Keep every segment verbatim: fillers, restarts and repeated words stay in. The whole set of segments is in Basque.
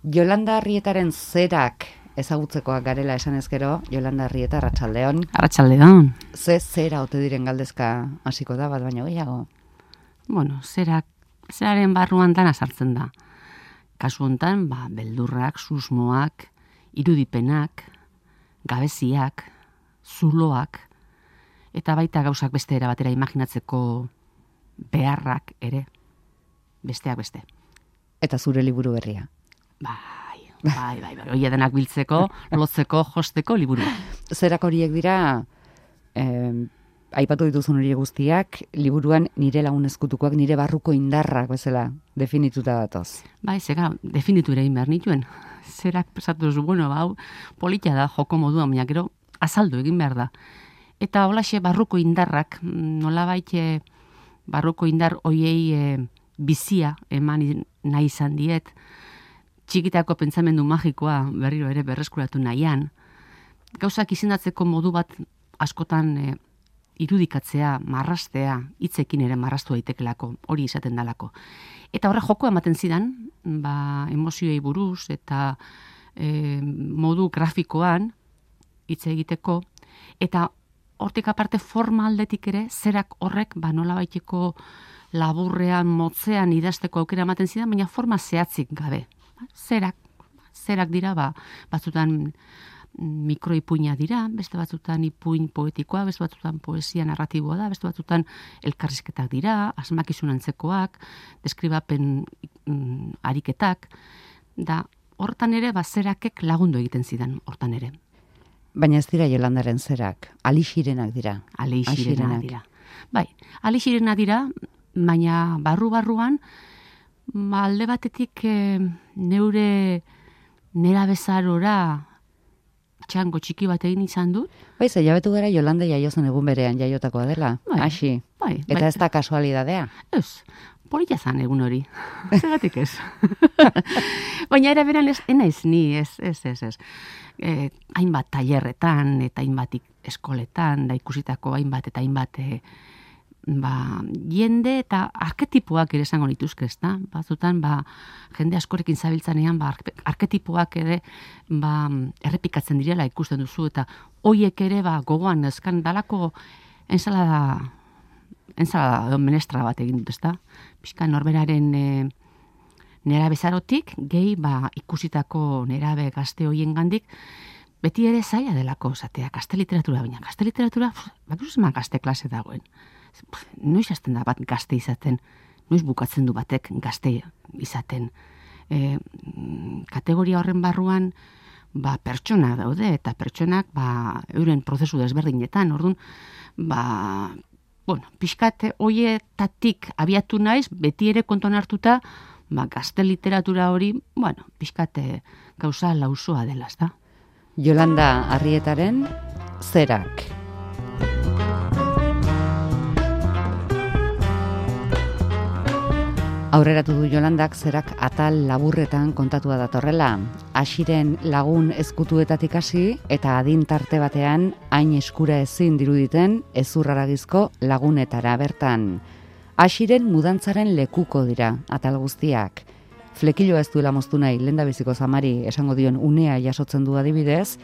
Yolanda Arrietaren zerak ezagutzekoak garela esan ezkero, Yolanda Arrieta, arratsaldeon. Arratsaldeon. Ze zera ote diren galdezka hasiko da, bat baino gehiago? Bueno, zerak, zeraren barruan dana sartzen da. Kasu hontan, ba, beldurrak, susmoak, irudipenak, gabeziak, zuloak, eta baita gauzak beste era batera imaginatzeko beharrak ere, besteak beste. Eta zure liburu berria. Bai, bai, bai, bai. Oie denak biltzeko, lotzeko, josteko liburu. Zerak horiek dira, eh, aipatu dituzun horiek guztiak, liburuan nire lagun ezkutukoak, nire barruko indarrak bezala definituta datoz. Bai, zega, definitu ere behar nituen. Zerak pesatu duzu, bueno, bau, politia da, joko moduan, baina gero azaldu egin behar da. Eta holaxe barruko indarrak, nolabait barruko indar hoiei e, bizia eman nahi izan diet, txikitako pentsamendu magikoa berriro ere berreskuratu nahian, gauzak izendatzeko modu bat askotan e, irudikatzea, marrastea, hitzekin ere marrastu daitekelako, hori izaten dalako. Eta horre joko ematen zidan, ba, emozioei buruz eta e, modu grafikoan hitz egiteko, eta hortik aparte forma aldetik ere, zerak horrek ba, nolabaiteko laburrean, motzean idazteko aukera ematen zidan, baina forma zehatzik gabe. Zerak, zerak dira, ba, batzutan mikroipuina dira, beste batzutan ipuin poetikoa, beste batzutan poesia narratiboa da, beste batzutan elkarrizketak dira, asmakizun antzekoak, deskribapen mm, ariketak, da hortan ere, ba, zerakek lagundu egiten zidan hortan ere. Baina ez dira Yolandaren zerak, alixirenak dira. Alixirenak dira. Bai, alixirenak dira, baina barru-barruan, ba, alde batetik e, neure nera bezarora txango txiki bat egin izan dut. Bai, ze jabetu gara Yolanda jaiozen egun berean jaiotakoa dela, bai, hasi. Bai, Eta bai. ez da kasualidadea. Ez, polita zan egun hori. Zeratik ez. Baina era beran ez, enaiz ni, ez, ez, ez, ez. E, hainbat tailerretan eta hainbat eskoletan, da ikusitako hainbat eta hainbat e, ba, jende eta arketipoak ere esango nituzke, ezta? Batzutan, ba, jende askorekin zabiltzanean, ba, arketipoak ere ba, errepikatzen direla ikusten duzu, eta hoiek ere ba, gogoan ezkan dalako ensalada, ensalada menestra bat egin dut, ezta? Pixka norberaren e, nera bezarotik, gehi ba, ikusitako nerabe gazte hoien gandik, beti ere zaila delako zatea, gazte literatura, baina gazte literatura, bakizuz eman gazte klase dagoen. Noiz hasten da bat gazte izaten, noiz bukatzen du batek gazte izaten. E, kategoria horren barruan, ba, pertsona daude, eta pertsonak ba, euren prozesu desberdinetan, orduan, ba, bueno, pixkat hoietatik abiatu naiz, beti ere kontuan hartuta, ba, gazte literatura hori, bueno, pixkate gauza lausoa dela, ezta? Yolanda Arrietaren zerak. Aurreratu du Yolandak zerak atal laburretan kontatua datorrela. Hasiren lagun ezkutuetatik hasi eta adin tarte batean hain eskura ezin diruditen ezurraragizko lagunetara bertan. Hasiren mudantzaren lekuko dira atal guztiak. Flekiloa ez duela moztu nahi lehendabiziko zamari esango dion unea jasotzen du adibidez,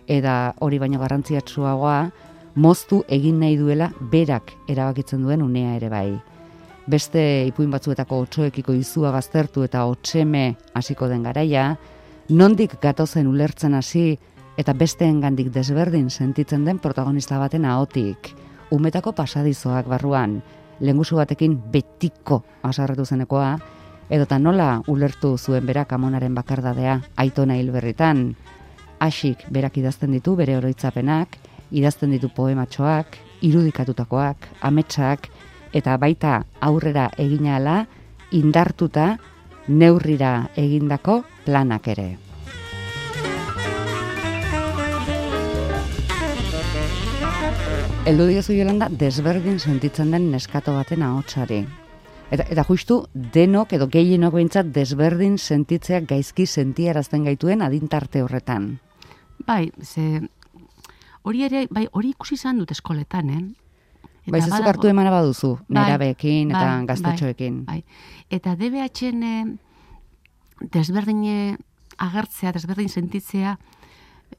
eta hori baino garrantziatsuagoa moztu egin nahi duela berak erabakitzen duen unea ere bai. Beste ipuin batzuetako otsoekiko izua baztertu eta otseme hasiko den garaia, nondik gatozen ulertzen hasi eta besteengandik desberdin sentitzen den protagonista baten ahotik. Umetako pasadizoak barruan, lengusu batekin betiko asarretu zenekoa, edota nola ulertu zuen berak amonaren bakardadea Aitona Hilberritan. Hasik berak idazten ditu bere oroitzapenak, idazten ditu poematxoak, irudikatutakoak, ametsak, eta baita aurrera egina ala, indartuta neurrira egindako planak ere. Heldu diozu Yolanda desberdin sentitzen den neskato baten ahotsari. Eta, eta justu denok edo gehienok behintzat desberdin sentitzeak gaizki sentiarazten gaituen adintarte horretan. Bai, ze hori ere, bai, hori ikusi izan dut eskoletan, eh? Bai, zezuk hartu emana baduzu, nerabeekin eta bai, gaztetxoekin. Bai, bai. Eta D B H-en desberdine agertzea, desberdin sentitzea,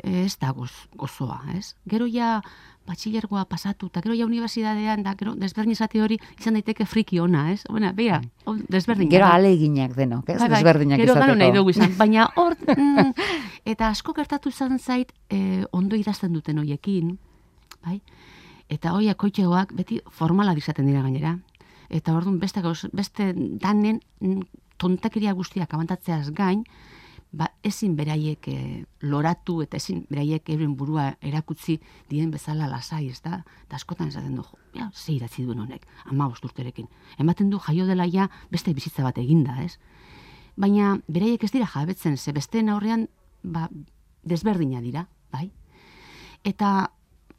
ez da goz, gozoa, ez? Gero ja batxilergoa pasatu, eta gero ja unibertsitatean, da gero desberdin izate hori izan daiteke friki ona, ez? Bueno, bera, desberdin. Gero aleginak denok, ez? Bai, bai, desberdinak gero izateko. Gero nahi dugu izan, baina hor, mm, eta asko gertatu izan zait, eh, ondo idazten duten hoiekin, bai? Eta hoiak koitxegoak beti formalak izaten dira gainera. Eta orduan beste, beste danen tontakeria guztiak abantatzeaz gain, ba, ezin beraiek e, loratu eta ezin beraiek euren burua erakutzi dien bezala lasai, ez da? Eta askotan esaten du, ja, ze idatzi duen honek, hamabost urterekin. Ematen du jaio dela ja beste bizitza bat eginda, ez? Baina beraiek ez dira jabetzen, ze besteen aurrean ba, desberdina dira, bai? Eta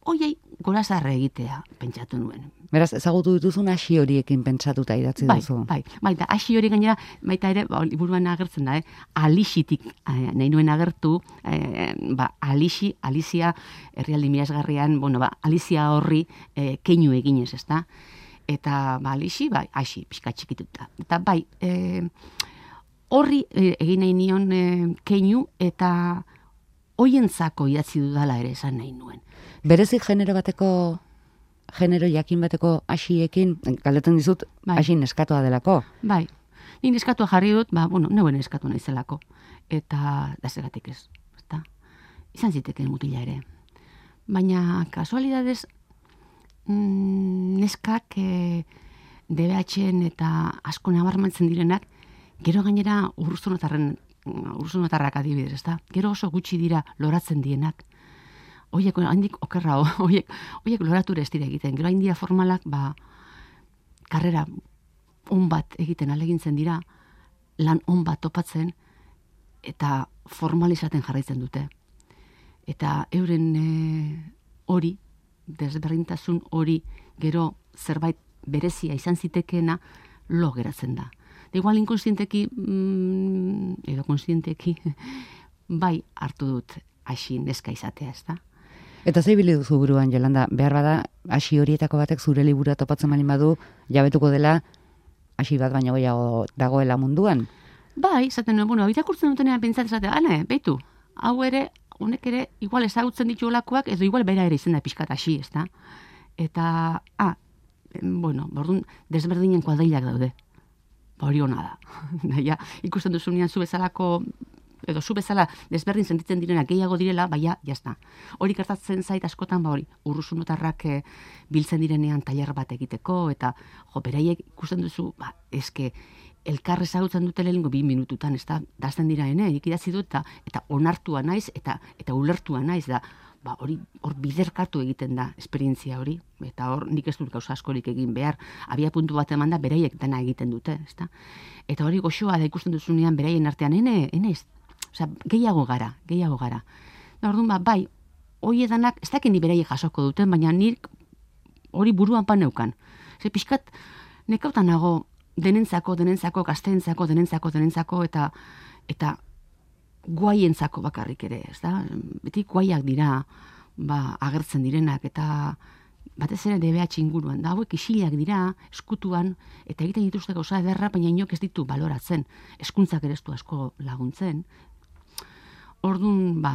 hoiei gorazarre egitea pentsatu nuen. Beraz, ezagutu dituzun hasi horiekin pentsatuta idatzi bai, duzu. Bai, bai, da hasi hori gainera, baita ere, ba, liburuan agertzen da, eh? Alixitik eh, nahi nuen agertu, eh, ba, Alixi, Alizia, herrialdi miresgarrian, bueno, ba, Alizia horri eh, keinu eginez, ez da? Eta, ba, Alixi, bai, hasi, pixka txikituta. Eta, bai, eh, horri eh, egin nahi nion eh, keinu, eta hoientzako idatzi dudala ere esan nahi nuen. Berezik genero bateko, genero jakin bateko hasiekin, galdetzen dizut, bai. Hasi neskatoa delako. Bai, ni neskatua jarri dut, ba, bueno, neuen neskatu naizelako. Eta, da zeratik ez, ezta? Izan zitekeen mutila ere. Baina, kasualidadez, mm, neskak e, D B H-en eta asko nabarmentzen direnak, gero gainera urzunotarren, urzunotarrak adibidez, ezta? Gero oso gutxi dira loratzen dienak. Oiek, handik okerra, oiek, oiek lorature ez dira egiten. Gero hain dira formalak, ba, karrera on bat egiten alegintzen dira, lan on bat topatzen, eta formalizaten jarraitzen dute. Eta euren e, hori, desberdintasun hori, gero zerbait berezia izan zitekeena, lo geratzen da. De igual inkonstienteki, mm, edo konstienteki, bai hartu dut hasi neska izatea, ez da? Eta zei bili duzu buruan, Jolanda, behar bada, hasi horietako batek zure libura topatzen malin badu, jabetuko dela, hasi bat baino gehiago dagoela munduan? Bai, izaten nuen, bueno, irakurtzen dutenean pentsatzen zatea, ane, beitu, hau ere, honek ere, igual ezagutzen ditu olakoak, edo igual bera ere izan da pixkat hasi, ez da? Eta, ah, bueno, bordun, desberdinen kuadrilak daude. Ba, hori hona da. Naia, ikusten duzunean zu bezalako, edo zu bezala desberdin sentitzen direnak gehiago direla, baina, jazta. Hori gertatzen zait askotan, ba hori, urruzunotarrak e, biltzen direnean tailer bat egiteko, eta, jo, beraiek ikusten duzu, ba, eske, elkar ezagutzen dute lehenengo bi minututan, ez da, dazten dira ene, nik idatzi dut, eta, eta onartua naiz, eta eta ulertua naiz, da, ba, hori, hor biderkatu egiten da, esperientzia hori, eta hor nik ez dut gauza askorik egin behar, abia puntu bat eman da, beraiek dena egiten dute, ez da? Eta hori goxoa da ikusten duzunean beraien artean, ene, ene, osea, gehiago gara, gehiago gara. Da, orduan, ba, bai, hoi edanak, ez dakin ni beraiek jasoko duten, baina nik hori buruan paneukan. Ze pixkat, nekautan nago, denentzako, denentzako, gazteentzako, denentzako, denentzako, eta eta guaientzako bakarrik ere, ez da? Beti guaiak dira, ba, agertzen direnak, eta batez ere D B H inguruan, da, hauek isilak dira, eskutuan, eta egiten dituzte gauza ederra, baina inok ez ditu baloratzen, hezkuntzak ere ez du asko laguntzen. Orduan, ba,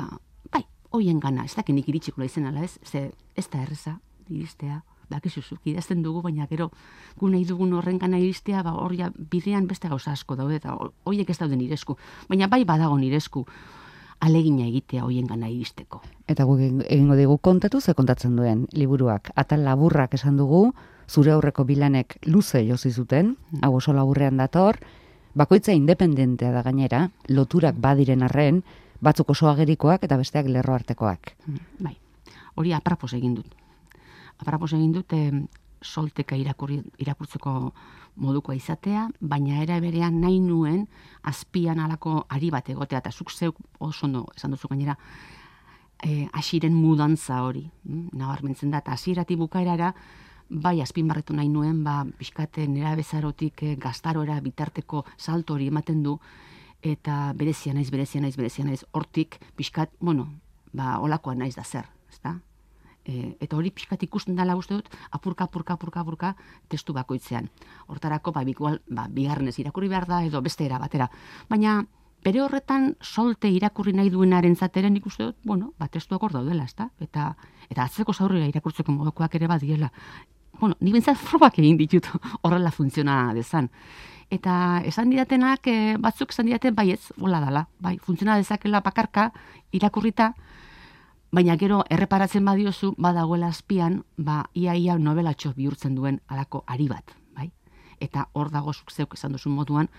bai, hoien gana, ez dakinik iritsiko izan ala ez, ze ez da erreza, iristea, dakizuzuk, idazten dugu, baina gero gu nahi dugun horren gana iristea, ba, hori bidean beste gauza asko daude, eta horiek ez daude niresku. Baina bai badago niresku alegina egitea hoien gana iristeko. Eta guk egingo digu kontatu ze kontatzen duen liburuak. Atal laburrak esan dugu, zure aurreko bilanek luze josi zuten, hau oso laburrean dator, bakoitza independentea da gainera, loturak badiren arren, batzuk oso agerikoak eta besteak lerro artekoak. Bai, hori aprapos egin dut. Aprapos egin dut eh, solteka irakurri, irakurtzeko modukoa izatea, baina era berean nahi nuen azpian alako ari bat egotea, eta zuk zeuk oso ondo esan duzu gainera, eh, hasiren mudantza hori, mm? Nabarmentzen da, eta hasieratik bukaerara, bai azpimarretu nahi nuen, ba, pixkate nera bezarotik eh, gaztarora bitarteko salto hori ematen du, eta berezia naiz, berezia naiz, berezia naiz, hortik pixkat, bueno, ba, olakoa naiz da zer, ezta? E, eta hori pixkat ikusten dela uste dut, apurka, apurka, apurka, apurka, testu bakoitzean. Hortarako, ba, bikual, ba, bigarrenez irakurri behar da, edo beste era batera. Baina, bere horretan solte irakurri nahi duenaren zateren ikuste dut, bueno, ba, testuak hor daudela, ezta? Eta, eta atzeko zaurrera irakurtzeko modukoak ere badiela. Bueno, ni bintzat frogak egin ditut horrela funtziona dezan. Eta esan didatenak, e, batzuk esan didaten, bai ez, hola dala, bai, funtziona dezakela bakarka, irakurrita, baina gero erreparatzen badiozu, badagoela azpian, ba, ia-ia novelatxo bihurtzen duen alako ari bat, bai? Eta hor dago zuk zeuk esan duzun moduan,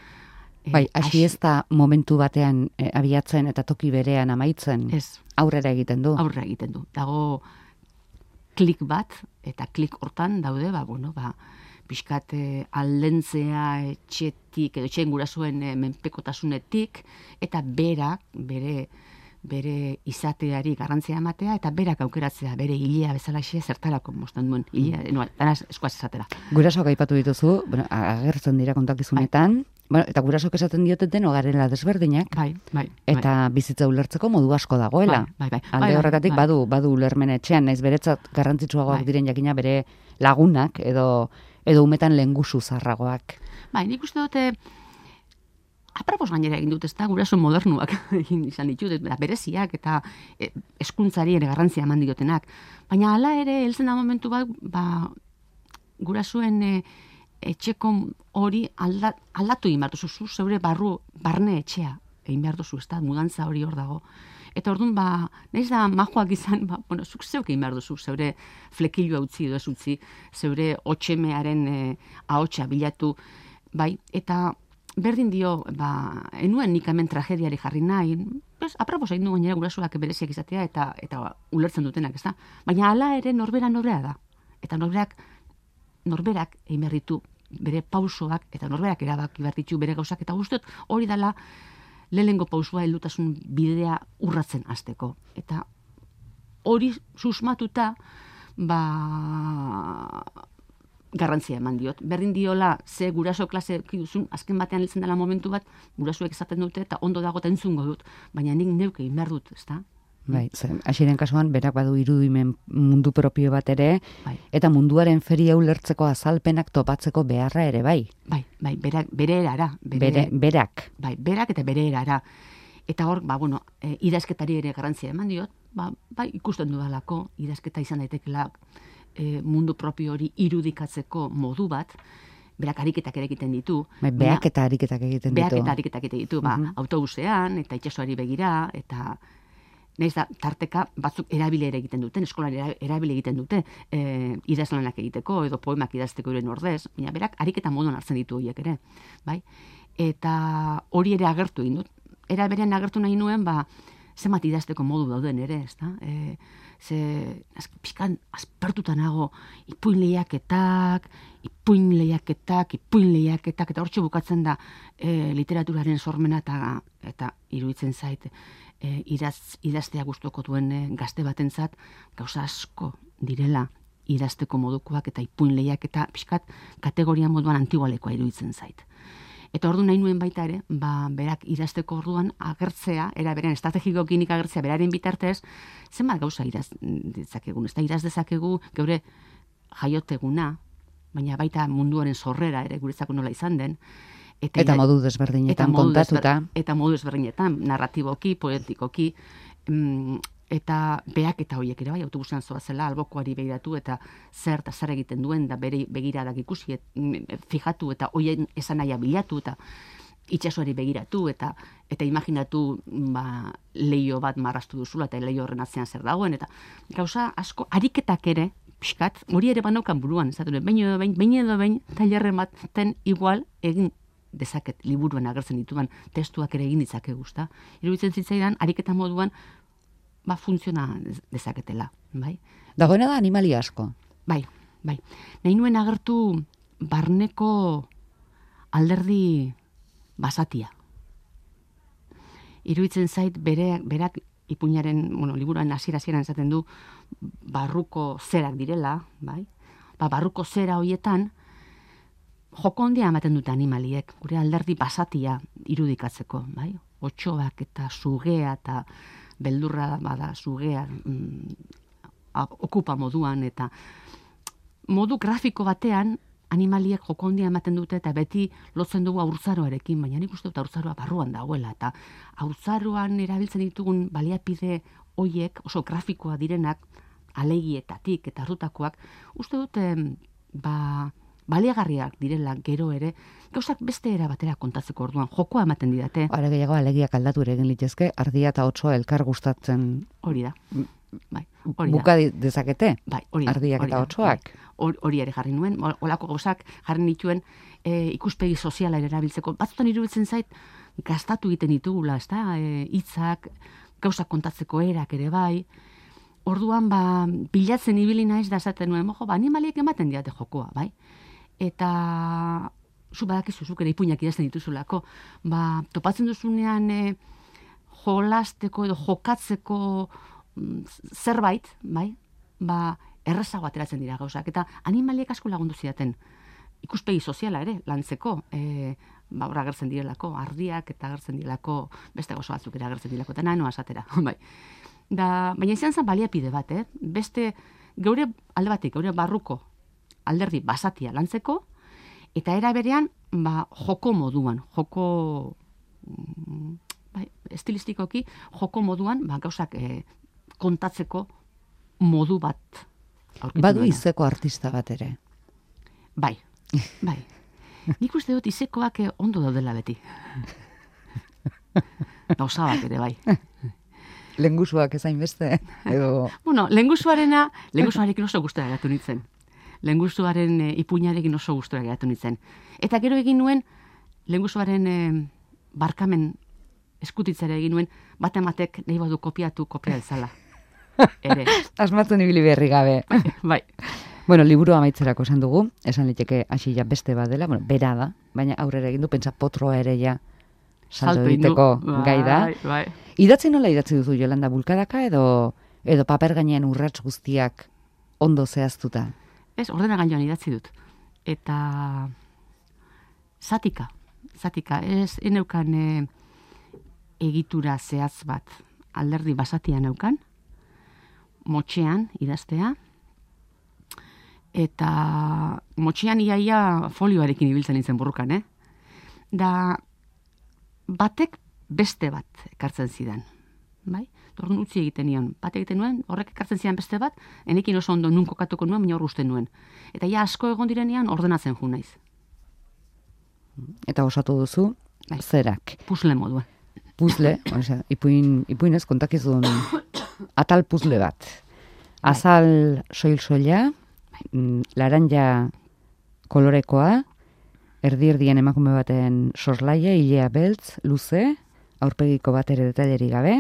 Bai, hasi ez da momentu batean e, abiatzen eta toki berean amaitzen. Ez. Aurrera egiten du. Aurrera egiten du. Dago klik bat, eta klik hortan daude, ba, bueno, ba, pixkat e, aldentzea etxetik, edo etxeen gurasuen e, menpekotasunetik, eta berak, bere, bere izateari garrantzia ematea, eta berak aukeratzea, bere hilea bezalaxe zertarako mostan duen hilea, no, danaz eskuaz esatera. Gurasoak aipatu dituzu, bueno, agertzen dira kontakizunetan, bai. Bueno, eta gurasok esaten dioten deno garela desberdinak, bai, bai, eta bai. bizitza ulertzeko modu asko dagoela. Bai, bai, bai. Alde bai, horretatik bai. badu badu ulermen etxean, naiz beretzat garrantzitsuagoak Bai. diren jakina bere lagunak edo edo umetan lengusu zarragoak. Bai, nik uste dute aprapos gainera egin dut, ezta, guraso modernuak egin izan ditut, eta bereziak eta e, eskuntzari ere garrantzia eman diotenak. Baina hala ere, heltzen da momentu bat, ba, gurasoen e, etxeko hori alda, aldatu egin behar duzu, zu zeure barru, barne etxea egin behar duzu, ez da, mudantza hori hor dago. Eta orduan, ba, nahiz da majoak izan, ba, bueno, zuk zeuk egin behar duzu, zeure flekilua utzi edo ez utzi, zeure otxemearen e, ahotsa bilatu, bai, eta berdin dio, ba, enuen nik hemen tragediari jarri nahi, pues, aprapos egin du gainera gurasoak bereziak izatea eta eta ulertzen dutenak, ez da? Baina hala ere norbera norbera da. Eta norberak, norberak egin behar ditu bere pausoak, eta norberak erabaki behar ditu bere gauzak, eta guztiot hori dela lehenengo pausua heldutasun bidea urratzen hasteko. Eta hori susmatuta, ba, garrantzia eman diot. Berdin diola, ze guraso klase duzun, azken batean heltzen dela momentu bat, gurasoek esaten dute, eta ondo dago eta entzungo dut, baina nik neuk egin behar dut, ezta? Bai, hasiren kasuan berak badu irudimen mundu propio bat ere, bai. Eta munduaren feria ulertzeko azalpenak topatzeko beharra ere bai. Bai, bai, berak, bere erara. Bere, bere, berak. Bai, berak eta bere erara. Eta hor, ba, bueno, e, idazketari ere garrantzia eman diot, ba, bai, ikusten dudalako, idazketa izan daitekela e, mundu propio hori irudikatzeko modu bat, berak ariketak ere egiten ditu. Bai, beak eta ariketak egiten ditu. Beak eta ariketak egiten ditu, ba, uh-huh. autobusean, eta itsasoari begira, eta nahiz da, tarteka batzuk erabile ere egiten duten, eskolan erabile egiten dute, e, idazlanak egiteko, edo poemak idazteko euren ordez, baina berak ariketa moduan hartzen ditu horiek ere, bai? Eta hori ere agertu egin dut. Era berean agertu nahi nuen, ba, zenbat idazteko modu dauden ere, ezta? E, ze, azki, pixkan, aspertuta nago, ipuin lehiaketak, ipuin lehiaketak, ipuin lehiaketak, eta hortxe bukatzen da e, literaturaren sormena, eta, eta iruditzen zait, e, idaz, idaztea gustuko duen e, gazte batentzat gauza asko direla idazteko modukoak eta ipuin lehiaketa pixkat kategoria moduan antigualekoa iruditzen zait. Eta ordu nahi nuen baita ere, ba, berak idazteko orduan agertzea, era berean estrategikokinik agertzea beraren bitartez, zenbat gauza idaz dezakegun, ez da idaz dezakegu geure jaioteguna, baina baita munduaren sorrera ere guretzako nola izan den. Eta, eta modu desberdinetan eta modu kontatuta. Desber, eta modu desberdinetan, narratiboki, poetikoki, mm, eta beak eta horiek ere bai, autobusean zoazela, albokoari begiratu eta zer eta zer egiten duen, da bere begiradak ikusi, et, fijatu eta hoien esan nahia bilatu, eta itsasoari begiratu, eta eta imaginatu ba, leio bat marrastu duzula, eta leio horren atzean zer dagoen, eta gauza asko, ariketak ere, pixkat, hori ere banaukan buruan, ez da, behin edo behin, behin edo behin, tailerren baten igual egin dezaket liburuan agertzen dituan testuak ere egin ditzake guzta. Iruditzen zitzaidan, ariketa moduan, ba, funtziona dezaketela, bai? Dagoena da animali asko. Bai, bai. Nahi nuen agertu barneko alderdi basatia. Iruditzen zait, bere, berak ipuinaren, bueno, liburuan hasiera-hasieran esaten du, barruko zerak direla, bai? Ba, barruko zera hoietan, joko handia ematen dute animaliek, gure alderdi basatia irudikatzeko, bai? Otxoak eta sugea eta beldurra bada sugea mm, okupa moduan, eta modu grafiko batean animaliek joko handia ematen dute eta beti lotzen dugu haurtzaroarekin, baina nik uste dut haurtzaroa barruan dagoela eta haurtzaroan erabiltzen ditugun baliapide hoiek oso grafikoa direnak alegietatik eta hartutakoak uste dut ba baliagarriak direla gero ere, gauzak beste era batera kontatzeko orduan, jokoa ematen didate. Are gehiago alegiak aldatu ere egin litezke, ardia eta otsoa elkar gustatzen. Hori da. Bai, hori buka dezakete? Bai, hori da. Ardiak hori eta da, otsoak. Bai. Hori ere jarri nuen, olako gauzak jarri nituen e, ikuspegi soziala erabiltzeko. Batzutan iruditzen zait, gastatu egiten ditugula, ez da, e, hitzak, gauzak kontatzeko erak ere bai. Orduan, ba, bilatzen ibili naiz da esaten nuen, mojo, ba, animaliek ematen diate jokoa, bai? Eta zu badakizu zuk ere ipuinak idazten dituzulako, ba, topatzen duzunean e, jolasteko edo jokatzeko mm, zerbait, bai? Ba, errazago ateratzen dira gauzak, eta animaliek asko lagundu zidaten. Ikuspegi soziala ere, lantzeko, e, ba, hor agertzen direlako, ardiak eta agertzen direlako, beste gozo batzuk ere agertzen direlako, eta nahi noa esatera, bai. Da, baina izan zen baliapide bat, eh? Beste, geure alde batik, geure barruko alderdi basatia lantzeko, eta era berean, ba, joko moduan, joko, bai, estilistikoki, joko moduan, ba, gauzak e, kontatzeko modu bat. Badu izeko artista bat ere. Bai, bai. Nik uste dut izekoak ondo daudela beti. Gauza bat ere, bai. Lengusuak ezain beste, edo... Bueno, lengusuarena, lengusuarekin oso gustora geratu nintzen. Lengusuaren e, ipuinarekin oso gustora geratu nintzen. Eta gero egin nuen, lengusuaren e, barkamen eskutitzera egin nuen, bat ematek nahi badu kopiatu, kopia dezala. Ere. Asmatzen ibili berri gabe. Bai. Bueno, liburu amaitzerako esan dugu, esan liteke hasi ja beste bat dela, bueno, bera da, baina aurrera egin du, pentsa potroa ere ja salto egiteko gai da. Bai, bai. Idatzi nola idatzi duzu, Jolanda, bulkadaka edo edo paper gainean urrats guztiak ondo zehaztuta? Ez, ordena gainean idatzi dut. Eta zatika, zatika, ez eneukan e, egitura zehatz bat, alderdi basatian neukan, motxean idaztea, eta motxean iaia folioarekin ibiltzen nintzen burrukan, eh? Da, batek beste bat ekartzen zidan, bai? Orduan utzi egiten nion, bat egiten nuen, horrek ekartzen zidan beste bat, enekin oso ondo nun kokatuko nuen, baina hor usten nuen. Eta ja asko egon direnean ordenatzen ju naiz. Eta osatu duzu, bai, zerak. Puzzle moduan. Puzzle, osea, ipuin, ipuinez kontakizun atal puzzle bat. Azal soil-soila, laranja kolorekoa, erdi-erdien emakume baten soslaia, ilea beltz, luze, aurpegiko bat ere detaileri gabe,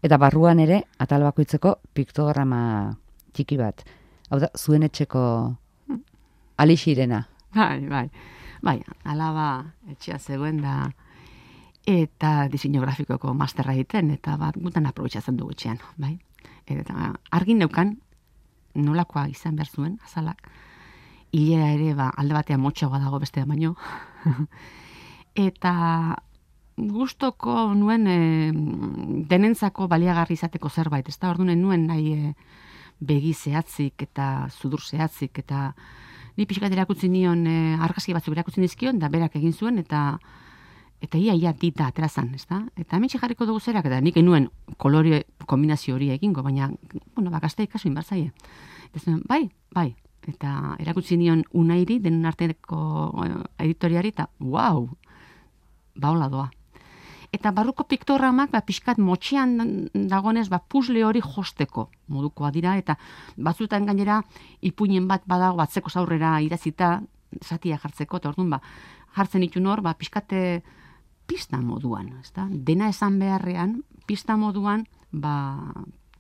eta barruan ere atal bakoitzeko piktograma txiki bat. Hau da, zuen etxeko alixirena. Bai, bai. Bai, alaba etxea zegoen da, eta diseinu grafikoko masterra egiten, eta bat gutan aprobetxatzen dugu etxean, bai. Eta argin neukan, nolakoa izan behar zuen, azalak, hilea ere ba, alde batean motxagoa dago beste baino. Eta gustoko nuen e, denentzako baliagarri izateko zerbait, ez da, orduan nuen nahi e, begi zehatzik eta zudur zehatzik, eta ni pixkat erakutzi nion e, argazki batzuk erakutzi dizkion, da berak egin zuen, eta eta ia, ia dita aterazan, ez da? Eta hemen jarriko dugu zerak, eta nik nuen kolore kombinazio hori egingo, baina, bueno, bakazte ikasu inbartzaie. Eta zuen, bai, bai, eta erakutsi nion Unairi, denon arteko editoriari, eta wow, ba hola doa. Eta barruko piktogramak, ba, pixkat motxean dagonez, ba, puzzle hori josteko modukoa dira, eta batzutan gainera ipuinen bat badago batzeko zaurrera idazita, zatia jartzeko, eta orduan, ba, jartzen itun hor, ba, pixkate pista moduan, ezta? Dena esan beharrean, pista moduan, ba,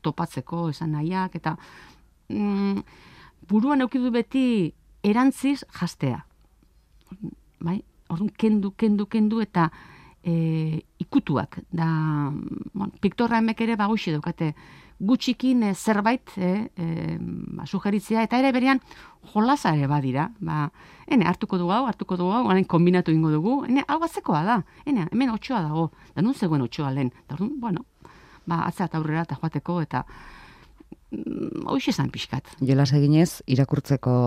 topatzeko esan nahiak, eta mm, buruan eukidu beti erantziz jastea. Bai? Orduan, kendu, kendu, kendu, eta e, ikutuak. Da, bon, piktorra emek ere, ba, hoxe daukate, gutxikin e, zerbait e, e, ba, sugeritzea, eta ere berean jolasa ere badira. Ba, ene, hartuko dugu hau, hartuko dugu hau, orain kombinatu ingo dugu, ene, hau batzekoa da, ene, hemen otxoa dago, da nun zegoen otxoa lehen. Da, bueno, ba, atzera eta aurrera eta joateko, eta mm, hoxe esan pixkat. Jolas eginez, irakurtzeko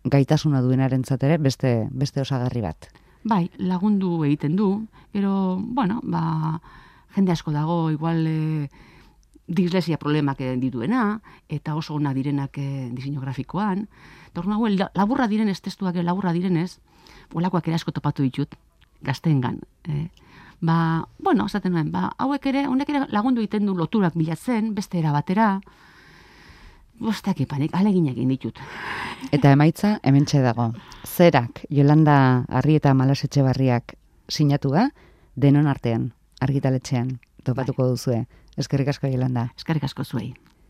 gaitasuna duenarentzat ere beste, beste osagarri bat. Bai, lagundu egiten du, pero, bueno, ba, jende asko dago, igual e, dislexia problemak dituena, eta oso ona direnak e, diseinu grafikoan. Eta hor nago, laburra direnez, testuak laburra direnez, olakoak ere asko topatu ditut, gazteengan. E, ba, bueno, esaten nuen, ba, hauek ere, honek ere lagundu egiten du loturak bilatzen, beste era batera, bostak ipanik, alegin egin ditut. Eta emaitza, hementxe dago. Zerak, Yolanda Arrieta Malasetxebarriak sinatua, denon artean, argitaletxean, topatuko duzue. Eskerrik asko, Yolanda. Eskerrik asko zuei.